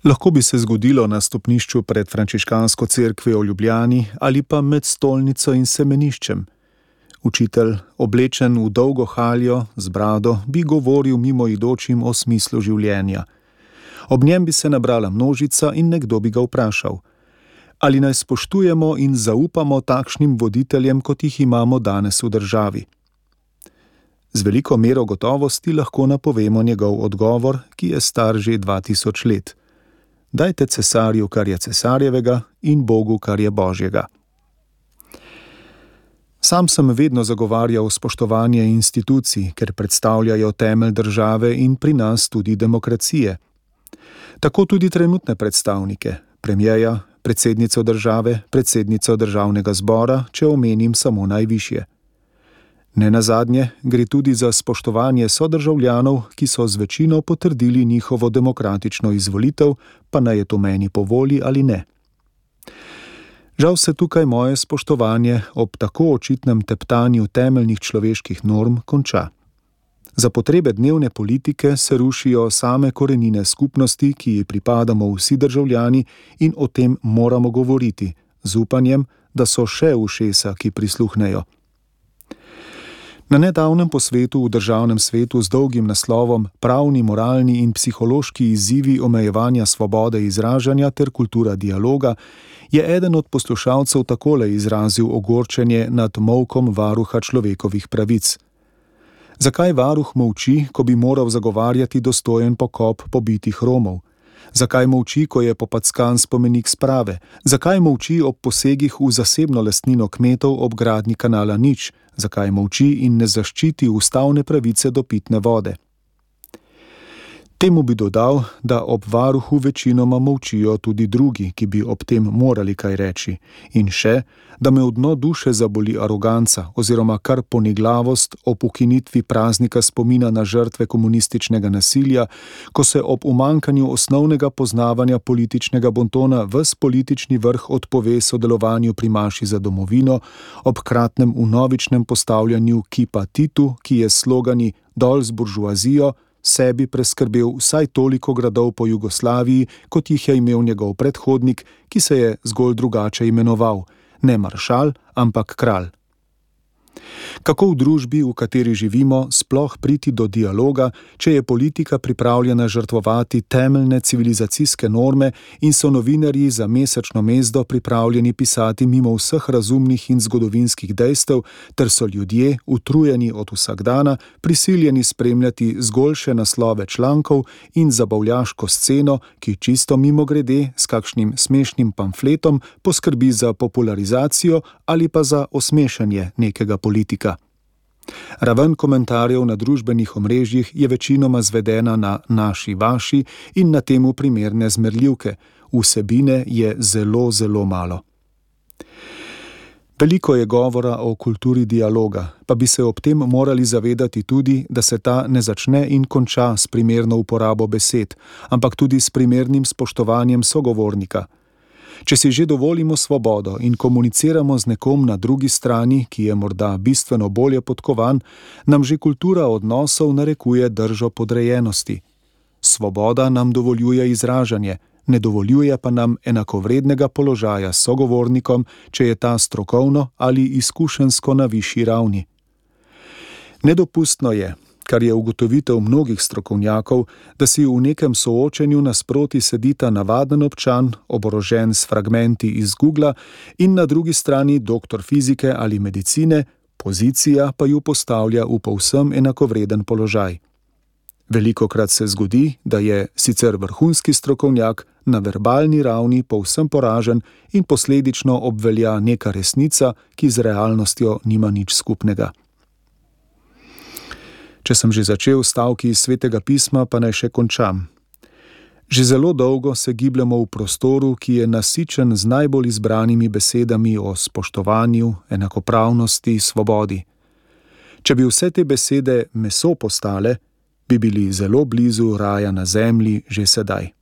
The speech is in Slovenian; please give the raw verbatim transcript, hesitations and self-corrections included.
Lahko bi se zgodilo na stopnišču pred frančiškansko cerkvijo v Ljubljani ali pa med stolnico in semeniščem. Učitelj, oblečen v dolgo haljo z brado, bi govoril mimoidočim o smislu življenja. Ob njem bi se nabrala množica in nekdo bi ga vprašal: ali naj spoštujemo in zaupamo takšnim voditeljem, kot jih imamo danes v državi? Z veliko mero gotovosti lahko napovemo njegov odgovor, ki je star že dva tisoč let. Dajte cesarju, kar je cesarjevega, in Bogu, kar je Božjega. Sam sem vedno zagovarjal spoštovanje institucij, ker predstavljajo temelj države in pri nas tudi demokracije. Tako tudi trenutne predstavnike, premierja, predsednico države, predsednico državnega zbora, če omenim samo najvišje. Nenazadnje gre tudi za spoštovanje sodržavljanov, ki so z večino potrdili njihovo demokratično izvolitev, pa naj je to meni po volji ali ne. Žal se tukaj moje spoštovanje ob tako očitnem teptanju temeljnih človeških norm konča. Za potrebe dnevne politike se rušijo same korenine skupnosti, ki ji pripadamo vsi državljani, in o tem moramo govoriti, z upanjem, da so še ušesa, ki prisluhnejo. Na nedavnem posvetu v državnem svetu z dolgim naslovom Pravni, moralni in psihološki izzivi omejevanja svobode izražanja ter kultura dialoga je eden od poslušalcev takole izrazil ogorčenje nad molkom varuha človekovih pravic. Zakaj varuh molči, ko bi moral zagovarjati dostojen pokop pobitih Romov? Zakaj molči, ko je popackan spomenik sprave? Zakaj molči ob posegih v zasebno lastnino kmetov ob gradnji kanala Nič? Zakaj molči in ne zaščiti ustavne pravice do pitne vode? Temu bi dodal, da ob varuhu večinoma molčijo tudi drugi, ki bi ob tem morali kaj reči. In še, da me v dno duše zaboli aroganca oziroma kar poniglavost ob ukinitvi praznika spomina na žrtve komunističnega nasilja, ko se ob umanjkanju osnovnega poznavanja političnega bontona ves politični vrh odpove sodelovanju pri maši za domovino, ob kratnem vnovičnem postavljanju kipa Titu, ki je slogani Dol z buržoazijo, sebi preskrbel vsaj toliko gradov po Jugoslaviji, kot jih je imel njegov predhodnik, ki se je zgolj drugače imenoval, ne maršal, ampak kralj. Kako v družbi, v kateri živimo, sploh priti do dialoga, če je politika pripravljena žrtvovati temeljne civilizacijske norme in so novinarji za mesečno mezdo pripravljeni pisati mimo vseh razumnih in zgodovinskih dejstev, ter so ljudje, utrujeni od vsakdana, prisiljeni spremljati zgolj še naslove člankov in zabavljaško sceno, ki čisto mimogrede s kakšnim smešnim pamfletom poskrbi za popularizacijo ali pa za osmešanje nekega politika. Raven komentarjev na družbenih omrežjih je večinoma zvedena na naši, vaši in na temu primerne zmerljivke. Vsebine je zelo, zelo malo. Veliko je govora o kulturi dialoga, pa bi se ob tem morali zavedati tudi, da se ta ne začne in konča s primerno uporabo besed, ampak tudi s primernim spoštovanjem sogovornika. Če si že dovolimo svobodo in komuniciramo z nekom na drugi strani, ki je morda bistveno bolje podkovan, nam že kultura odnosov narekuje držo podrejenosti. Svoboda nam dovoljuje izražanje, ne dovoljuje pa nam enakovrednega položaja s sogovornikom, če je ta strokovno ali izkušensko na višji ravni. Nedopustno je, kar je ugotovitev mnogih strokovnjakov, da si v nekem soočenju nasproti sedita navaden občan, oborožen s fragmenti iz Googla, in na drugi strani doktor fizike ali medicine, pozicija pa ju postavlja v povsem enakovreden položaj. Velikokrat se zgodi, da je sicer vrhunski strokovnjak na verbalni ravni povsem poražen in posledično obvelja neka resnica, ki z realnostjo nima nič skupnega. Če sem že začel stavki iz Svetega pisma, pa naj še končam. Že zelo dolgo se gibljamo v prostoru, ki je nasičen z najbolj izbranimi besedami o spoštovanju, enakopravnosti, svobodi. Če bi vse te besede meso postale, bi bili zelo blizu raja na zemlji že sedaj.